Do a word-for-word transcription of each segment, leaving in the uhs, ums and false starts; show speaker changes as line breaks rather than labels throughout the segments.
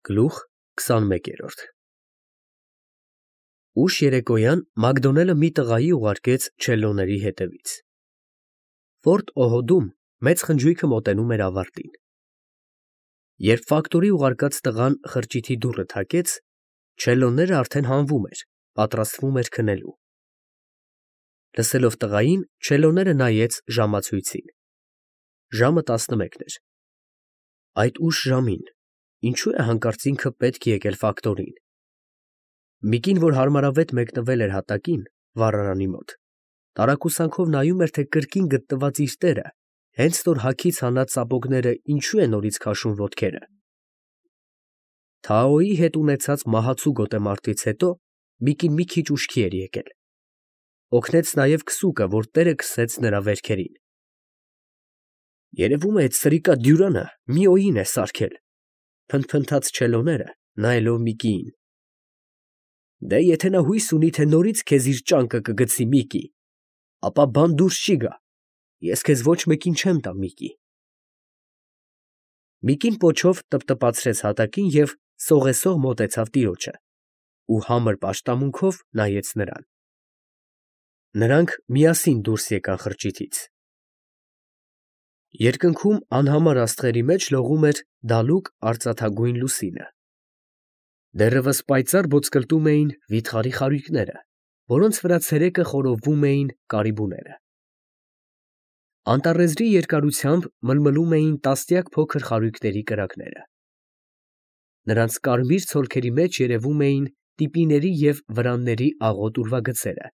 Գլուխ քսանմեկերորդ Ուշ երեկոյան Մակդոնելը մի տղայի ուղարկեց չելլոների հետևից։ Ֆորտ Օհոդում մեծ խնջույքը մոտենում էր ավարտին։ Երբ ֆակտորի ուղարկած տղան խրճիթի դուռը թակեց, չելլոները արդեն հանվում էր, պատրաստվում էր քնելու։ Լսելով տղային, չելլոները նայեց ժամացույցին։ Ժամը տասնմեկն էր։ Այդ ուշ ժամին ինչու է հանկարծ ինքը պետք եկել ֆակտորին։ Միկին, որ հարմարավետ մեկնվել էր հատակին, վառարանի մոտ, տարակուսանքով նայում էր, թե կրկին գտնված իր տերը հենց նոր հագից հանած սապոգները ինչու է նորից քաշում ոտքերը։ Թաոյի հետ ունեցած մահացու գոտեմարտից հետո Միկին մի քիչ ուշքի էր եկել։ Օգնեց նաև քսուկը, որ տերը քսեց նրա վերքերին։ Երևում է, այդ սրիկա Դյուրանը մի օին է սարքել, փնթփնթաց չելոները, նայելով Միկիին։ Դե եթե նա հույս ունի, թե նորից քեզ իր ճանկը կգցի, Միկի, ապա բան դուրս չի գա, ես քեզ ոչ մեկին չեմ տա, Միկի։ Միկին պոչով տպտպացրեց հատակին և սողեսող մոտեցավ տիրոջը ու համր պաշտամունքով նայեց նրան։ Նրանք միասին դուրս եկան խրճիթից։ Երկնքում անհամար աստղերի մեջ լողում էր դալուկ արծաթագույն լուսինը։ Դեռևս պայծառ ոսկրտում էին վիթխարի խարույկները, որոնց վրա ցերեկը խորովվում էին կարիբուները։ Անտառեզրի երկարությամբ մլմլում էին տասնյակ փոքր խարույկների կրակները։ Նրանց կարմիր ցոլքերի մեջ երևում էին տիպիների և վրանների աղոտ ուրվագծերը,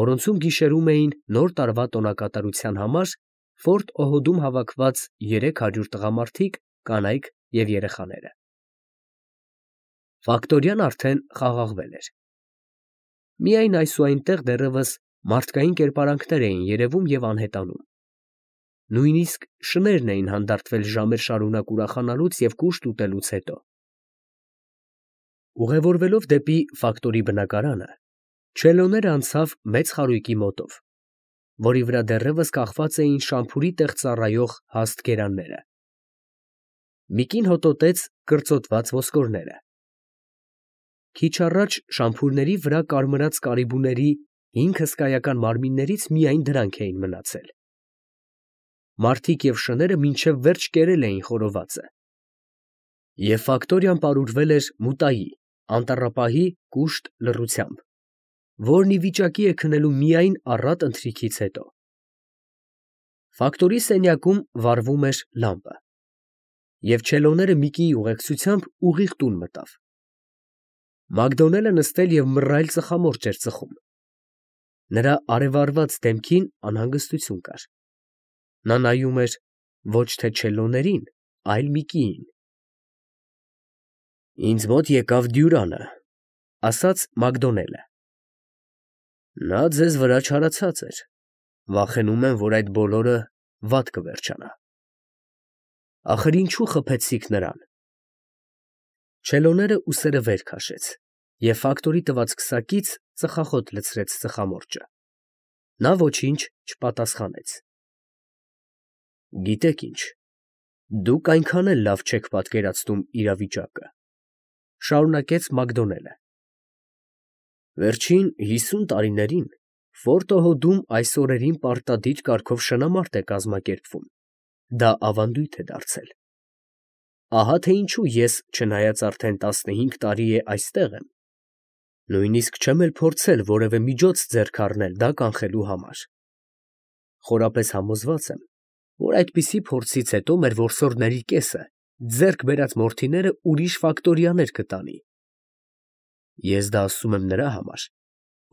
որոնցում գիշերում էին նոր տարվա տոնակատարության համար Ֆորտ Օհոդում հավաքված երեք հարյուր տղամարդիկ, կանայք և երեխաները։ Ֆակտորիան արդեն խաղաղվել էր։ Միայն այսուայնտեղ դեռևս մարդկային կերպարանքներ էին երևում և անհետանում։ Նույնիսկ շներն էին հանդարտվել ժամեր շարունակ ուրախանալուց և կուշտ ուտելուց հետո։ Ուղևորվելով դեպի ֆակտորի բնակարանը, չելլոները անցավ մեծ խարույկի մոտով, որի վրա դեռևս կախված էին շամփուրի տեղ ծառայող հաստ գերանները։ Միկին հոտոտեց կրծոտված ոսկորները։ Քիչ առաջ շամփուրների վրա կարմրած կարիբուների հինգ հսկայական մարմիններից միայն դրանք էին մնացել։ Մարդիկ և շները մինչև վերջ կերել էին խորովածը։ Եվ ֆակտորիան պարուրվել էր մուտայի, անտառապահի կուշտ լռությամբ, որն ի վիճակի է քնելու միայն առատ ընթրիքից հետո։ Ֆակտորի սենյակում վառվում էր լամպը, և չելլոները Միկիի ուղեկցությամբ ուղիղ տուն մտավ։ Մակդոնելը նստել և մռայլ ծխամորճ էր ծխում։ Նրա արևառված դեմքին անհանգստություն կար։ Նա նայում էր ոչ թե չելլոներին, այլ Միկիին։ «Ինձ մոտ եկավ Դյուրանը, ֊ ասաց Մակդոնելը։ Նա ձեզ վրա չարացած էր, վախենում եմ, որ այդ բոլորը վատ կվերջանա։ Ախր ինչու խփեցիք նրան։ Չելլոները ուսերը վեր քաշեց և ֆակտորի տված քսակից ծխախոտ լցրեց ծխամորճը։ Նա ոչինչ չպատասխանեց։ Գիտեք ինչ, դուք այնքան էլ լավ չեք պատկերացնում իրավիճակը, ֊ շարունակեց Մակդոնելը։ Վերջին հիսուն տարիներին Ֆորտ Օհոդում այս օրերին պարտադիր կարգով շնամարտ է կազմակերպվում, դա ավանդույթ է դարձել։ Ահա թե ինչու ես, չնայած արդեն տասնհինգ տարի է այստեղ եմ, նույնիսկ չեմ էլ փորձել որևէ միջոց ձեռք առնել դա կանխելու համար։ Խորապես համոզված եմ, որ այդպիսի փորձից հետո մեր որսորդների կեսը ձեռք բերած մորթիները ուրիշ ֆակտորիաներ կտանի։ Ես դա ասում եմ նրա համար,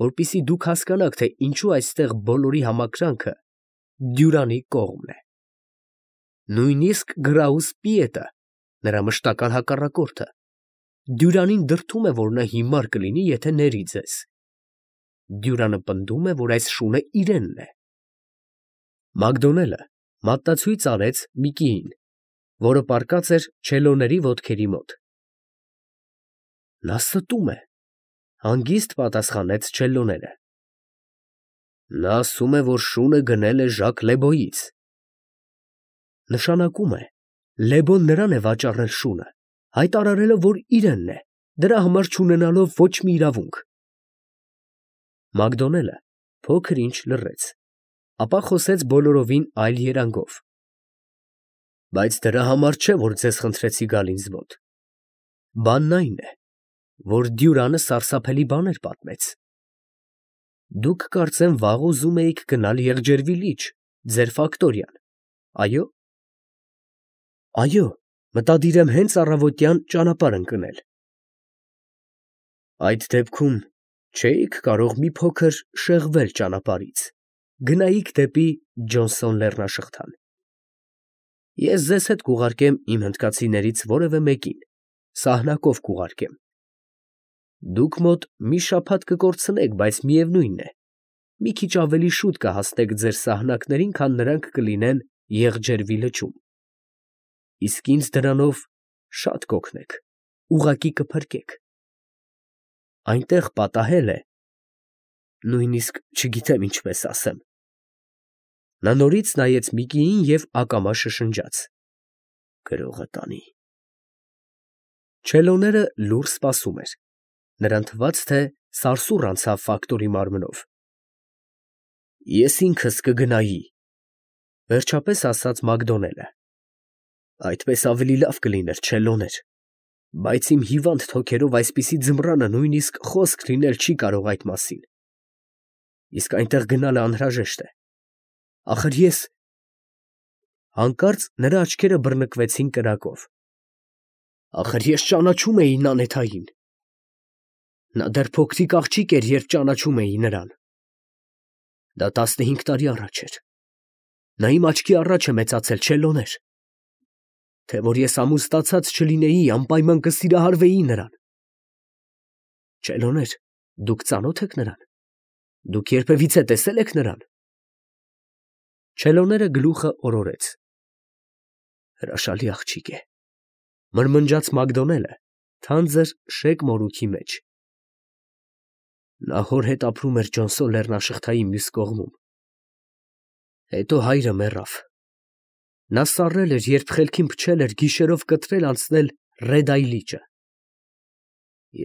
որպեսզի դուք հասկանաք, թե ինչու այստեղ բոլորի համակրանքը Դյուրանի կողմն է։ Նույնիսկ Գրաուս Պիետը, նրա մշտական հակառակորդը, Դյուրանին դրդում է, որ նա հիմար կլինի, եթե ների ձեզ։ Դյուրանը պնդում է, որ այս շունը իրենն է։ Մակդոնելը մատնացույց արեց Միկիին, որը պառկած էր չելլոների ոտքերի մոտ։ Նա ստում է, ֊ հանգիստ պատասխանեց չելլոները։ Նա ասում է, որ շունը գնել է Ժակ Լեբոյից։ Նշանակում է, Լեբոն նրան է վաճառել շունը, հայտարարելով, որ իրենն է, դրա համար չունենալով ոչ մի իրավունք։ Մակդոնելը փոքր ինչ լռեց, ապա խոսեց բոլորովին այլ երանգով. Բայց դրա համար չէ, որ ձեզ խնդրեցի գալ ինձ մոտ։ Բանն այն է, որ Դյուրանը սարսափելի բաներ պատմեց։ Դուք կարծեմ վաղ ուզում էիք գնալ Եղջերվի լիճ, ձեր ֆակտորիան, այո՞։ Այո, մտադիր եմ հենց առավոտյան ճանապարհ ընկնել։ Այդ դեպքում չէիք կարող մի փոքր շեղվել ճանապարհից, գնայիք դեպի Ջոնսոն լեռնաշղթան։ Ես ձեզ հետ կուղարկեմ իմ հնդկացիներից որևէ մեկին, սահնակով կուղարկեմ։ Դուք մոտ մի շաբաթ կկորցնեք, բայց միևնույն է, մի քիչ ավելի շուտ կհասնեք ձեր սահնակներին, քան նրանք կլինեն Եղջերվի լճում։ Իսկ ինձ դրանով շատ կօգնեք, ուղղակի կփրկեք։ Այնտեղ պատահել է, նույնիսկ չգիտեմ ինչպես ասեմ։ Նա նորից նայեց Միկիին և ակամա շշնջաց. Գրողը տանի։ Չելոները լուռ սպասում էր, նրան թվաց, թե սարսուռ անցավ ֆակտորի մարմնով։ Ես ինքս կգնայի, վերջապես ասաց Մակդոնելը։ Այդպես ավելի լավ կլիներ, Չելոներ, բայց իմ հիվանդ թոքերով այսպիսի ձմռանը նույնիսկ խոսք լինել չի կարող այդ մասին։ Իսկ այնտեղ գնալը անհրաժեշտ է։ Ախր ես… Հանկարծ նրա աչքերը բռնկվեցին կրակով։ Ախր ես ճանաչում էի Նանեթային։ Նա դեռ փոքրիկ աղջիկ էր, երբ ճանաչում էի նրան։ Դա տասնհինգ տարի առաջ էր։ Նա իմ աչքի առաջ է մեծացել, Չելոներ։ Թե որ ես ամուսնացած չլինեի, անպայման կսիրահարվեի նրան։ Չելոներ, դուք ծանո՞թ եք նրան։ Դուք երբևիցե տեսել եք նրան։ Չելոները գլուխը օրորեց։ Հրաշալի աղջիկ է, մրմնջաց Մակդոնելը թանձր շեկ մորուքի մեջ։ Նա հոր հետ ապրում էր Ջոնսոն լեռնաշղթայի մյուս կողմում։ Հետո հայրը մեռավ։ Նա սառել էր, երբ խելքին փչել էր գիշերով կտրել անցնել Ռեդայի լիճը։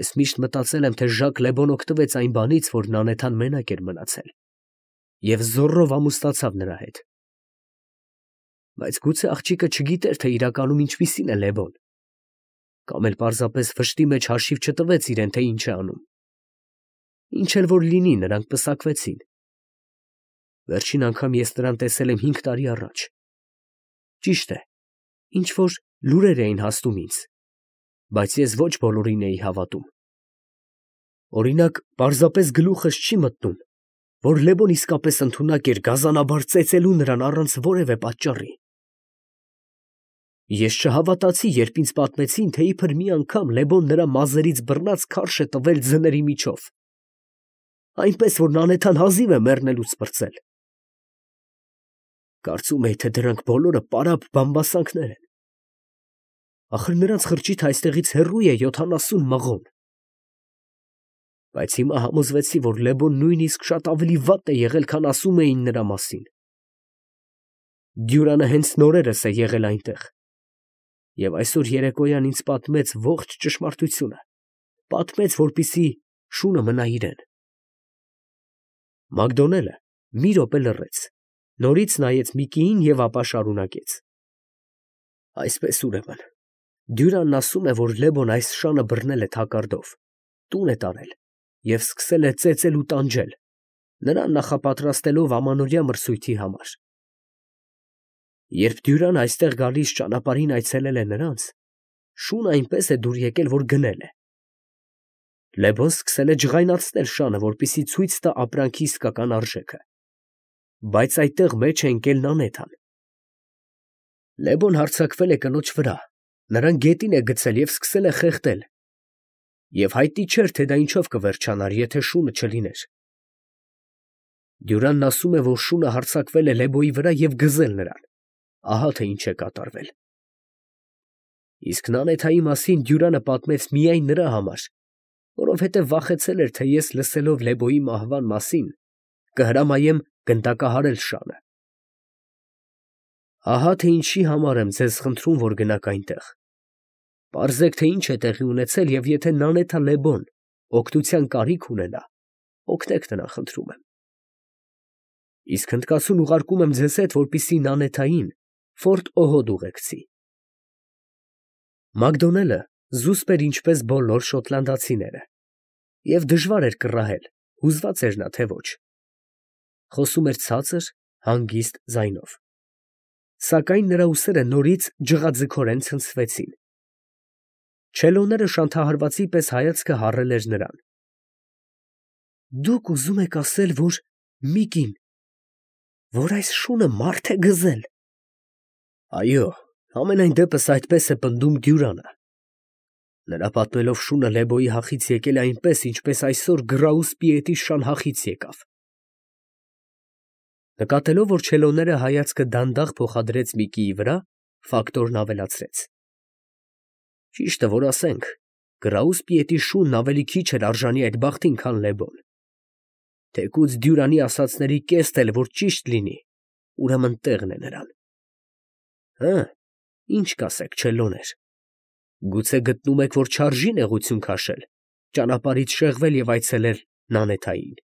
Ես միշտ մտածել եմ, թե Ժակ Լեբոն օգտվեց այն բանից, որ Նանեթան մենակ էր մնացել, և զոռով ամուսնացավ նրա հետ։ Բայց գուցե աղջիկը չգիտեր, թե իրականում ինչպիսին է Լեբոն, կամ էլ պարզապես վշտի մեջ հաշիվ չտվեց իրեն, թե ինչ է անում։ Ինչ էլ որ լինի, նրանք պսակվեցին։ Վերջին անգամ ես նրան տեսել եմ հինգ տարի առաջ։ Ճիշտ է, ինչ որ լուրեր էին հասնում ինձ, բայց ես ոչ բոլորին էի հավատում։ Օրինակ, պարզապես գլուխս չի մտնում, որ Լեբոն իսկապես ընդունակ էր գազանաբար ծեծելու նրան առանց որևէ պատճառի։ Ես չհավատացի, երբ ինձ պատմեցին, թե իբր մի անգամ Լեբոն նրա մազերից բռնած քարշ է տվել ձների միջով, այնպես որ Նանեթան հազիվ է մեռնելուց պրծել։ Կարծում էի, թե դրանք բոլորը պարապ բամբասանքներ են։ Ախր նրանց խրճիթը այստեղից հեռու է յոթանասուն մղոն։ Բայց հիմա համոզվեցի, որ Լեբոն նույնիսկ շատ ավելի վատ է եղել, քան ասում էին նրա մասին։ Դյուրանը հենց նորերս է եղել այնտեղ, և այսօր երեկոյան ինձ պատմեց ողջ ճշմարտությունը, պատմեց, որպեսզի շունը մնա իրեն։ Մակդոնելը մի րոպե լռեց, նորից նայեց Միկիին և ապա շարունակեց. Այսպես ուրեմն, Դյուրանն ասում է, որ Լեբոն այս շանը բռնել է թակարդով, տուն է տարել և սկսել է ծեծել ու տանջել, նրան նախապատրաստելով ամանորյա մրցույթի համար։ Երբ Դյուրան այստեղ գալիս ճանապարհին այցելել է նրանց, շունը այնպես է դուր եկել, որ գնել է։ Լեբոն սկսել է ջղայնացնել շանը, որպեսզի ցույց տա ապրանքի իսկական արժեքը, բայց այդտեղ մեջ է ընկել Նանեթան։ Լեբոն հարձակվել է կնոջ վրա, նրան գետին է գցել և սկսել է խեղդել, և հայտնի չէր, թե դա ինչով կվերջանար, եթե շունը չլիներ։ Դյուրանն ասում է, որ շունը հարձակվել է Լեբոյի վրա և գզել նրան, ահա թե ինչ է կատարվել։ Իսկ Նանեթայի մասին Դյուրանը պատմեց միայն նրա համար, որովհետև վախեցել էր, թե ես լսելով Լեբոյի մահվան մասին, կհրամայեմ գնդակահարել շանը։ Ահա թե ինչի համար եմ ձեզ խնդրում, որ գնաք այնտեղ։ Պարզեք, թե ինչ է տեղի ունեցել, և եթե Նանեթա Լեբոն օգնության կարիք ունենա, օգնեք նրան, խնդրում եմ։ Իսկ հնդկացուն ուղարկում եմ ձեզ հետ, որպեսզի Նանեթային Ֆորտ Օհոդ ուղեկցի։ Մակդոնելը զուսպ էր ինչպես բոլոր շոտլանդացիները, և դժվար էր կռահել, հուզված էր նա, թե ոչ։ Խոսում էր ցածր, հանգիստ ձայնով, սակայն նրա ուսերը նորից ջղաձգորեն ցնցվեցին։ Չելոները շանթահարվածի պես հայացքը հառել էր նրան։ Դուք ուզում եք ասել, որ մի կին, որ այս շունը մարդ է գզել։ Այո, համենայն դեպս այդպես է պնդում Դյուրանը։ Նրա պատմելով շունը Լեբոյի հախից եկել է այնպես, ինչպես այսօր Գրաուսպիետի շան հախից եկավ։ Նկատելով, որ չելոները հայացքը դանդաղ փոխադրեց Միկիի վրա, ֆակտորն ավելացրեց. Ճիշտը որ ասենք, Գրաուսպիետի շունն ավելի քիչ էր արժանի այդ բախտին, քան Լեբոն։ Թեկուզ Դյուրանի ասածների կեստ էլ որ ճիշտ լինի, ուրեմն տեղն է նրան։ Հը, ինչ կասեք, չելոներ, գուցե գտնում եք, որ չարժի նեղություն քաշել, ճանապարհից շեղվել և այցելել Նանեթային։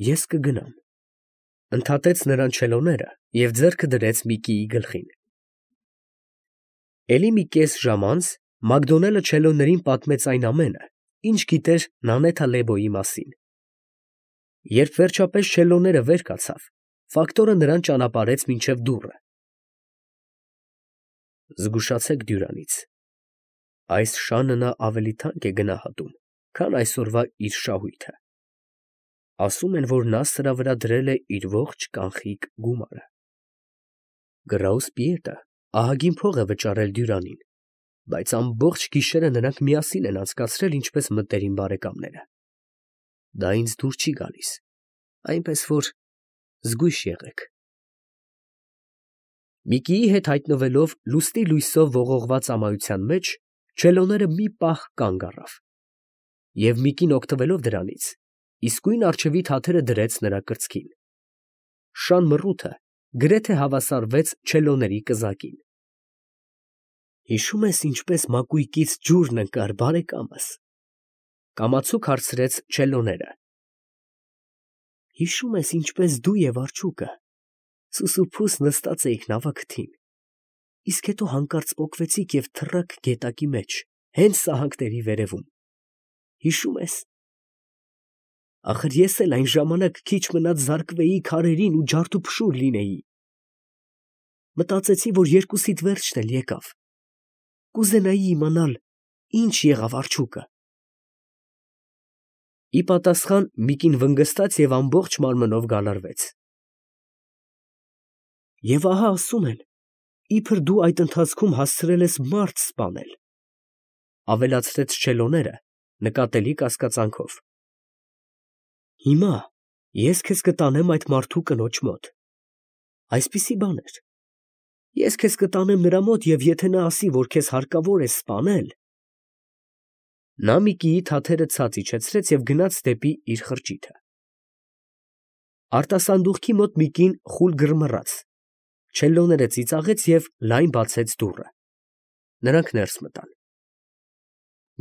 Ես կգնամ, ընդհատեց նրան չելոները և ձեռքը դրեց Միկիի գլխին։ Էլի մի կես ժամ անց Մակդոնելը չելոներին պատմեց այն ամենը, ինչ գիտեր Նանեթա Լեբոյի մասին։ Երբ վերջապես չելոները վեր կացավ, ֆակտորը նրան ճանապարհեց մինչև դուռը։ Զգուշացեք Դյուրանից, այս շանը նա ավելի թանկ է գնահատում, քան այսօրվա իր շահույթը։ Ասում են, որ նա սրա վրա դրել է իր ողջ կանխիկ գումարը։ Գրաուսպիետը ահագին փող է վճարել Դյուրանին, բայց ամբողջ գիշերը նրանք միասին են անցկացրել, ինչպես մտերիմ բարեկամները։ Դա ինձ դուր չի գալիս, այնպես որ զգույշ եղեք։ Միկիի հետ հայտնվելով լուսնի լույսով ողողված ամայության մեջ, չելոները մի պահ կանգ առավ, և Միկին օգտվելով դրանից, իսկույն առջևի թաթերը դրեց նրա կրծքին։ Շան մռութը գրեթե հավասարվեց չելոների կզակին։ Հիշո՞ւմ ես, ինչպես մակույկից ջուրն ընկար, բարեկամս, կամացուկ հարցրեց չելոները։ Հիշո՞ւմ ես, ինչպես դու և արջուկը սուսուփուս նստած էիք նավակթին, իսկ հետո հանկարծ պոկվեցիք և թռաք գետակի մեջ, հենց սահանքների վերևում, հիշո՞ւմ ես։ Ախր ես էլ այն ժամանակ քիչ մնաց զարկվեի քարերին ու ջարդուփշուր լինեի։ Մտածեցի, որ երկուսիդ վերջն էլ եկավ, կուզենայի իմանալ, ինչ եղավ արջուկը։ Ի պատասխան Միկին վնգստաց և ամբողջ մարմնով գալարվեց։ Եվ ահա ասում են, իբր դու այդ ընթացքում հասցրել ես մարդ սպանել, ավելացրեց չելոները նկատելի կասկածանքով։ Հիմա ես քեզ կտանեմ այդ մարդու կնոջ մոտ, այսպիսի բան էր, ես քեզ կտանեմ նրա մոտ, և եթե նա ասի, որ քեզ հարկավոր է սպանել… Նա Միկիի թաթերը ցած իջեցրեց և գնաց դեպի իր խրճիթը։ Արտասանդուղքի մոտ Միկին խուլ գրմռաց, չելոները ծիծաղեց և լայն բացեց դուռը։ Նրանք ներս մտան։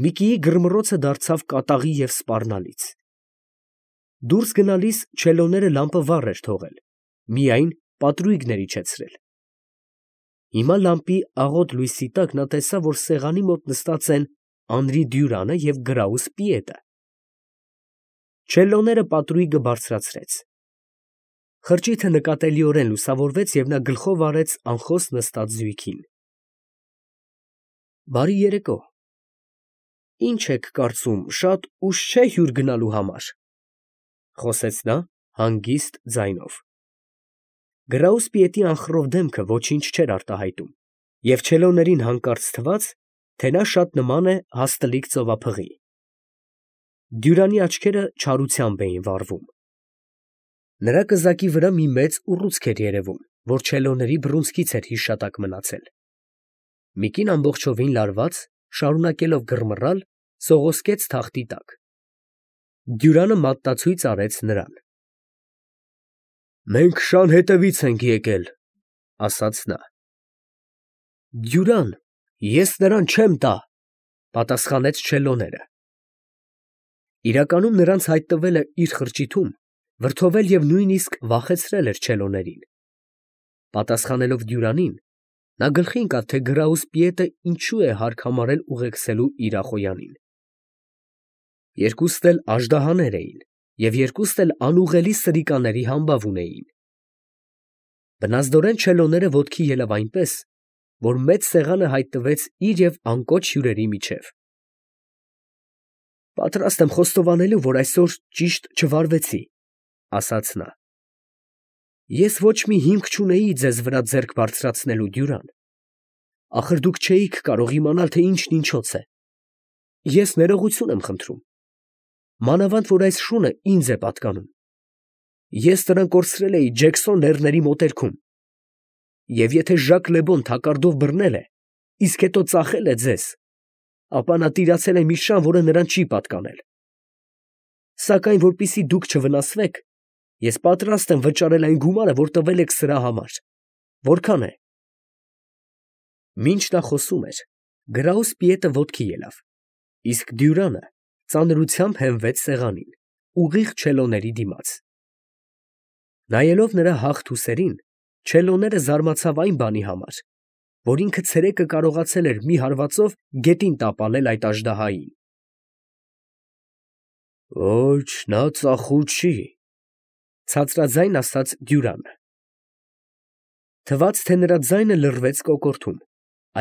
Միկիի գրմռոցը դարձավ կատաղի և սպառնալից։ Դուրս գնալիս չելոները լամպը վառ էր թողել, միայն պատրույգներ իջեցրել։ Հիմա լամպի աղոտ լույսի տակ նա տեսավ, որ սեղանի մոտ նստած են Անրի Դյուրանը և Գրաուսպիետը։ Չելոները պատրույգը բարձրացրեց։ Խրճիթը նկատելիորեն լուսավորվեց, և նա գլխով արեց անխոս նստած զույգին։ Բարի երեկո, ի՞նչ եք կարծում, շատ ուշ չէ՞ հյուր գնալու համար, խոսեց նա հանգիստ ձայնով։ Գրաուսպիետի անխռով դեմքը ոչինչ չէր արտահայտում, և չելոներին հանկարծ թվաց, թե նա շատ նման է հաստլիկ ծովափղի։ Դյուրանի աչքերը չարությամբ էին վառվում։ Նրա կզակի վրա մի մեծ ուռուցք էր երևում, որ չելոների բռունցքից էր հիշատակ մնացել։ Միկին ամբողջովին լարված, շարունակելով գրմռալ, սողոսկեց թախտի տակ։ Դյուրանը մատնացույց արեց նրան։ Մենք շան հետևից ենք եկել, ասաց նա։ Դյուրան, ես նրան չեմ տա, պատասխանեց Չելլոները։ Իրականում նրանց հայտնվելը իր խրճիթում վրդովել և նույնիսկ վախեցրել էր Չելլոներին։ Պատասխանելով Դյուրանին, նա գլխի ընկավ, թե Գրաուսպիետը ինչու է հարկ համարել ուղեկցելու իր ախոյանին։ Երկուստ էլ աժդահաներ էին և երկուստ էլ անուղղելի սրիկաների համբավ ունեին։ Բնազդորեն Չելլոները ոտքի ելավ այնպես, որ մեծ սեղանը հայտնվեց իր և անկոչ հյուրերի միջև։ «Պատրաստ եմ խոստովանելու, որ այսօր ճիշտ չվարվեցի, ֊ ասաց նա։ Ես ոչ մի հիմք չունեի ձեզ վրա ձեռք բարձրացնելու, Դյուրան. ախր դուք չէիք կարող իմանալ, թե ինչն ինչոց է։ Ես ներողություն եմ խնդրում, մանավանդ որ այս շունը ինձ է պատկանում։ Ես նրան կորցրել էի Ջեքսոն լեռների մոտերքում, և եթե Ժակ Լեբոն թակարդով բռնել է, իսկ հետո ծախել է ձեզ, ապա նա տիրացել է մի շան, որը նրան չի պատկանել։ Սակայն որպեսզի դուք չվնասվեք, ես պատրաստ եմ վճարել այն գումարը, որ տվել եք սրա համար։ Որքան է։ Մինչ նա խոսում էր, Գրաուսպիետը ոտքի ելավ, իսկ Դյուրանը ծանրությամբ հենվեց սեղանին, ուղիղ Չելլոների դիմաց։ Նայելով նրա հաղթ ուսերին, Չելլոները զարմացավ այն բանի համար, որ ինքը ցերեկը կարողացել էր մի հարվածով գետին տապալել այդ աժդահային։ Ոչ, նա ծախու չի, ֊ ցածրաձայն ասաց Դյուրանը։ Թվաց, թե նրա ձայնը լռվեց կոկորդում,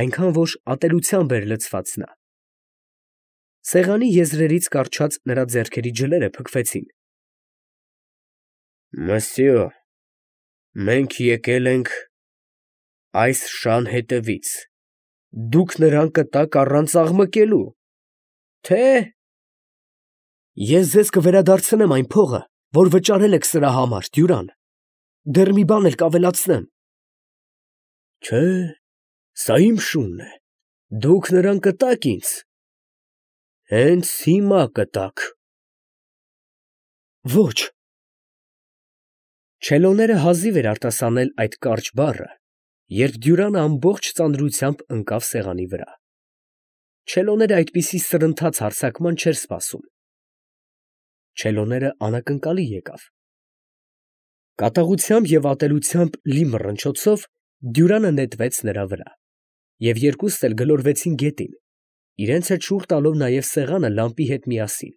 այնքան որ ատելությամբ էր լցված նա։ Սեղանի եզրերից կառչած նրա ձեռքերի ջլերը փքվեցին։ Մըսյո, մենք եկել ենք այս շան հետևից, դուք նրան կտաք առանց աղմկելու, թե՞։ Ես ձեզ կվերադարձնեմ այն փողը, որ վճարել եք սրա համար, Դյուրան, դեռ մի բան էլ կավելացնեմ։ Չէ, սա իմ շունն է, դուք նրան կտաք ինձ։ Հենց հիմա կտաք։ Ոչ։ Չելլոները հազիվ էր արտասանել այդ կարճ բառը, երբ Դյուրանը ամբողջ ծանրությամբ ընկավ սեղանի վրա։ Չելլոները այդպիսի սրընթաց հարձակման չէր սպասում։ Չելլոները անակնկալի եկավ։ Կատաղությամբ և ատելությամբ լի մռնչոցով Դյուրանը նետվեց նրա վրա, և երկուստ էլ գլորվեցին գետին, իրենց հետ շուռ տալով նաև սեղանը լամպի հետ միասին։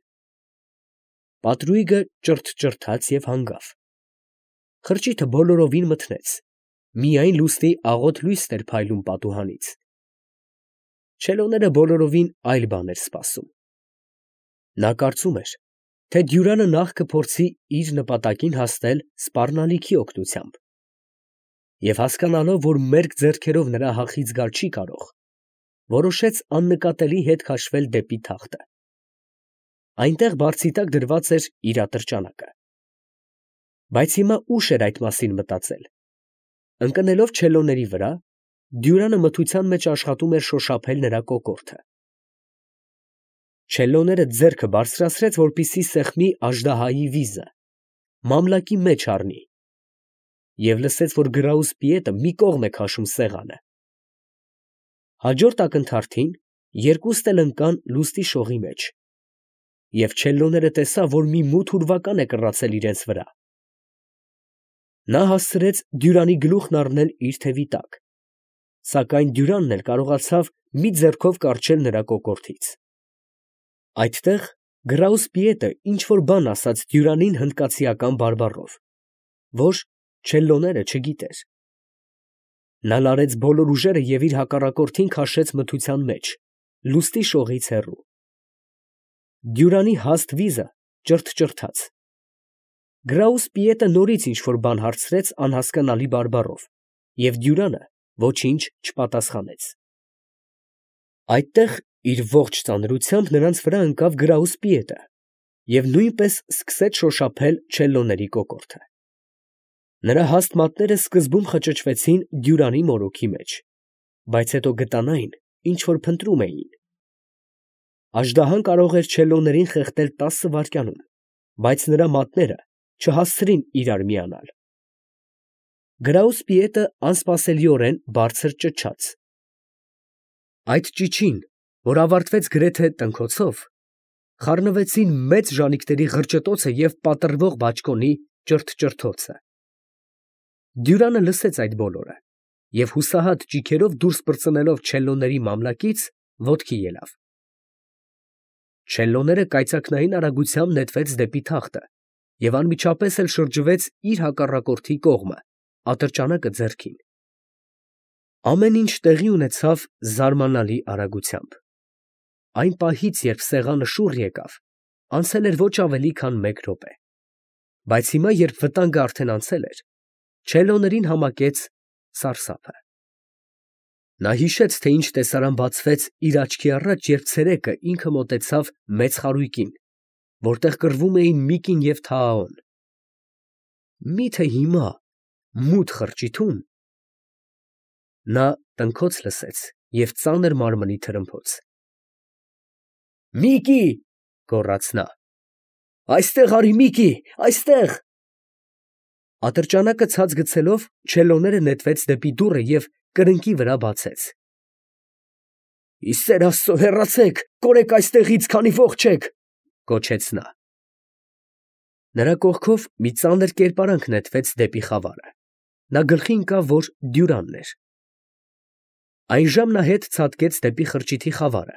Պատրույգը ճռթ֊ճռթաց և հանգավ։ Խրճիթը բոլորովին մթնեց, միայն լուսնի աղոտ լույսն էր փայլում պատուհանից։ Չելլոները բոլորովին այլ բան էր սպասում։ Նա կարծում էր, թե Դյուրանը նախ կփորձի իր նպատակին հասնել սպառնալիքի օգնությամբ, և հասկանալով, որ մերկ ձեռքերով նրա հախից գալ չի կարող, որոշեց աննկատելի հետ քաշվել դեպի թախտը։ Այնտեղ բարձի տակ դրված էր իր ատրճանակը։ Բայց հիմա ուշ էր այդ մասին մտածել։ Ընկնելով Չելլոների վրա, Դյուրանը մթության մեջ աշխատում էր շոշափել նրա կոկորդը։ Չելլոները ձեռքը բարձրացրեց, որպեսզի սեղմի աժդահայի վիզը, մամլակի մեջ առնի, և լսեց, որ Գրաուսպիետը մի կողմ է քաշում սեղանը։ Հաջորդ ակնթարթին երկուստ էլ ընկան լուսնի շողի մեջ, և Չելլոները տեսավ, որ մի մութ ուրվական է կռացել իրենց վրա։ Նա հասցրեց Դյուրանի գլուխն առնել իր թևի տակ, սակայն Դյուրանն էլ կարողացավ մի ձեռքով կառչել նրա կոկորդից։ Այդտեղ Գրաուսպիետը ինչ֊որ բան ասաց Դյուրանին հնդկացիական բարբառով, որ Չելլոները չգիտեր։ Նա լարեց բոլոր ուժերը և իր հակառակորդին քաշեց մթության մեջ, լուսնի շողից հեռու։ Դյուրանի հաստ վիզը ճռթ֊ճռթաց։ Գրաուսպիետը նորից ինչ֊որ բան հարցրեց անհասկանալի բարբառով, և Դյուրանը ոչինչ չպատասխանեց։ Այդտեղ իր ողջ ծանրությամբ նրանց վրա ընկավ Գրաուսպիետը և նույնպես սկսեց շոշափել Չելլոների կոկորդը։ Նրա հաստ մատները սկզբում խճճվեցին Դյուրանի մորուքի մեջ, բայց հետո գտան այն, ինչ որ փնտրում էին։ Աժդահան կարող էր Չելլոներին խեղդել տասը վայրկյանում, բայց նրա մատները չհասցրին իրար միանալ։ Գրաուսպիետը անսպասելիորեն բարձր ճչաց, Այդ ճիչին, որ ավարտվեց գրեթե տնքոցով, խառնվեցին մեծ ժանիքների ղրճտոցը և պատռվող բաճկոնի ճրթ֊ճրթոցը։ Դյուրանը լսեց այդ բոլորը և հուսահատ ճիգերով դուրս պրծնելով չելլոների մամլակից, ոտքի ելավ։ Չելլոները կայծակնային արագությամբ նետվեց դեպի թախտը և անմիջապես էլ շրջվեց իր հակառակորդի կողմը, ատրճանակը ձեռքին։ Ամեն ինչ տեղի ունեցավ զարմանալի արագությամբ։ Այն պահից, երբ սեղանը շուռ եկավ, անցել էր ոչ ավելի քան մեկ րոպե, բայց հիմա, երբ վտանգը արդեն անցել էր, չելլոներին համակեց սարսափը։ Նա հիշեց, թե ինչ տեսարան բացվեց իր աչքի առաջ, երբ ցերեկը ինքը մոտեցավ մեծ խարույկին, որտեղ կռվում էին Միկին և Թաաոն։ Մի՞թե հիմա, մութ խրճիթում… Նա տնքոց լսեց և ծանր մարմնի թրմփոց։ «Միկի!» գոռաց նա։ «Այստեղ արի, Միկի, այստեղ»։ Ատրճանակը ցած գցելով, չելլոները նետվեց դեպի դուռը և կրկնակի վրա բացեց։ «Ի սեր Աստծո, հեռացեք, կորեք այստեղից, քանի ոխ չեք», գոչեց նա։ Նրա կողքով մի ծանր կերպարանք նետվեց դեպի խավարը։ Նա գլխի ընկավ, որ Դյուրանն էր։ Այժմ նա հետ ցատկեց դեպի խրճիթի խավարը,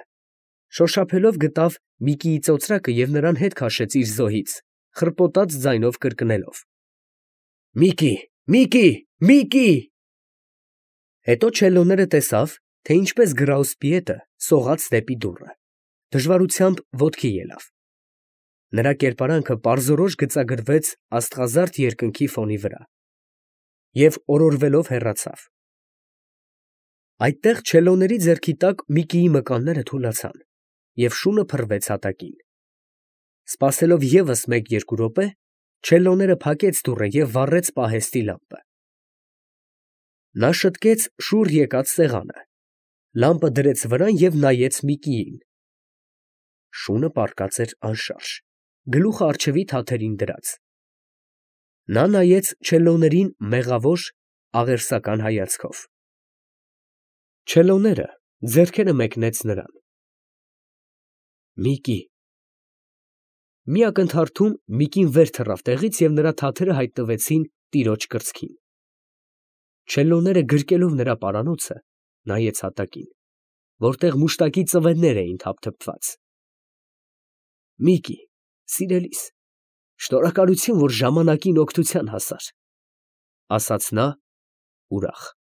շոշափելով գտավ Միկիի ծոծրակը և նրան հետ քաշեց իր զոհից, խռպոտած ձայնով կրկնելով. «Միկի, Միկի, Միկի»։ Հետո չելլոները տեսավ, թե ինչպես գրաուսպիետը սողաց դեպի դուռը, դժվարությամբ ոտքի ելավ։ Նրա կերպարանքը պարզորոշ գծագրվեց աստղազարդ երկնքի ֆոնի վրա և օրորվելով հեռացավ։ Այդտեղ չելլոների ձեռքի տակ Միկիի մկանները թուլացան, և շունը փռվեց հատակին։ Սպասելով ևս մեկ֊երկու րոպե, չելլոները փակեց դուռը և վառեց պահեստի լամպը։ Նա շտկեց շուռ եկած սեղանը, լամպը դրեց վրան և նայեց Միկիին։ Շունը պառկած էր անշարժ, գլուխը առջևի թաթերին դրած։ Նա նայեց չելլոներին մեղավոր, աղերսական հայացքով։ Չելլոները ձեռքերը մեկնեց նրան։ «Միկի»։ Մի ակնթարթում Միկին վեր թռավ տեղից և նրա թաթերը հայտնվեցին տիրոջ կրծքին։ Չելլոները գրկելով նրա պարանոցը, նայեց հատակին, որտեղ մուշտակի ծվեններ էին թափթփված։ «Միկի, սիրելիս, շնորհակալություն, որ ժամանակին օգնության հասար», ֊ ասաց նա ուրախ։